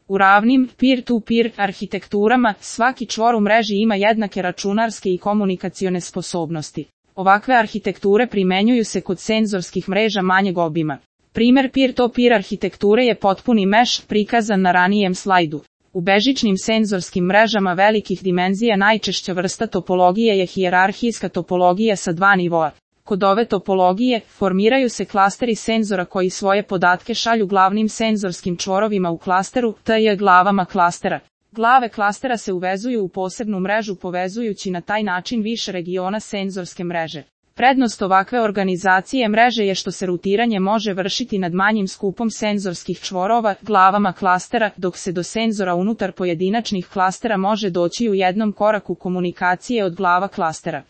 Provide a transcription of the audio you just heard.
U ravnim, peer-to-peer arhitekturama, svaki čvor u mreži ima jednake računarske i komunikacione sposobnosti. Ovakve arhitekture primenjuju se kod senzorskih mreža manjeg obima. Primer peer-to-peer arhitekture je potpuni mesh, prikazan na ranijem slajdu. U bežičnim senzorskim mrežama velikih dimenzija najčešća vrsta topologije je hijerarhijska topologija sa dva nivoa. Kod ove topologije, formiraju se klasteri senzora koji svoje podatke šalju glavnim senzorskim čvorovima u klasteru, tj. glavama klastera. Glave klastera se uvezuju u posebnu mrežu povezujući na taj način više regiona senzorske mreže. Prednost ovakve organizacije mreže je što se rutiranje može vršiti nad manjim skupom senzorskih čvorova, glavama klastera, dok se do senzora unutar pojedinačnih klastera može doći u jednom koraku komunikacije od glava klastera.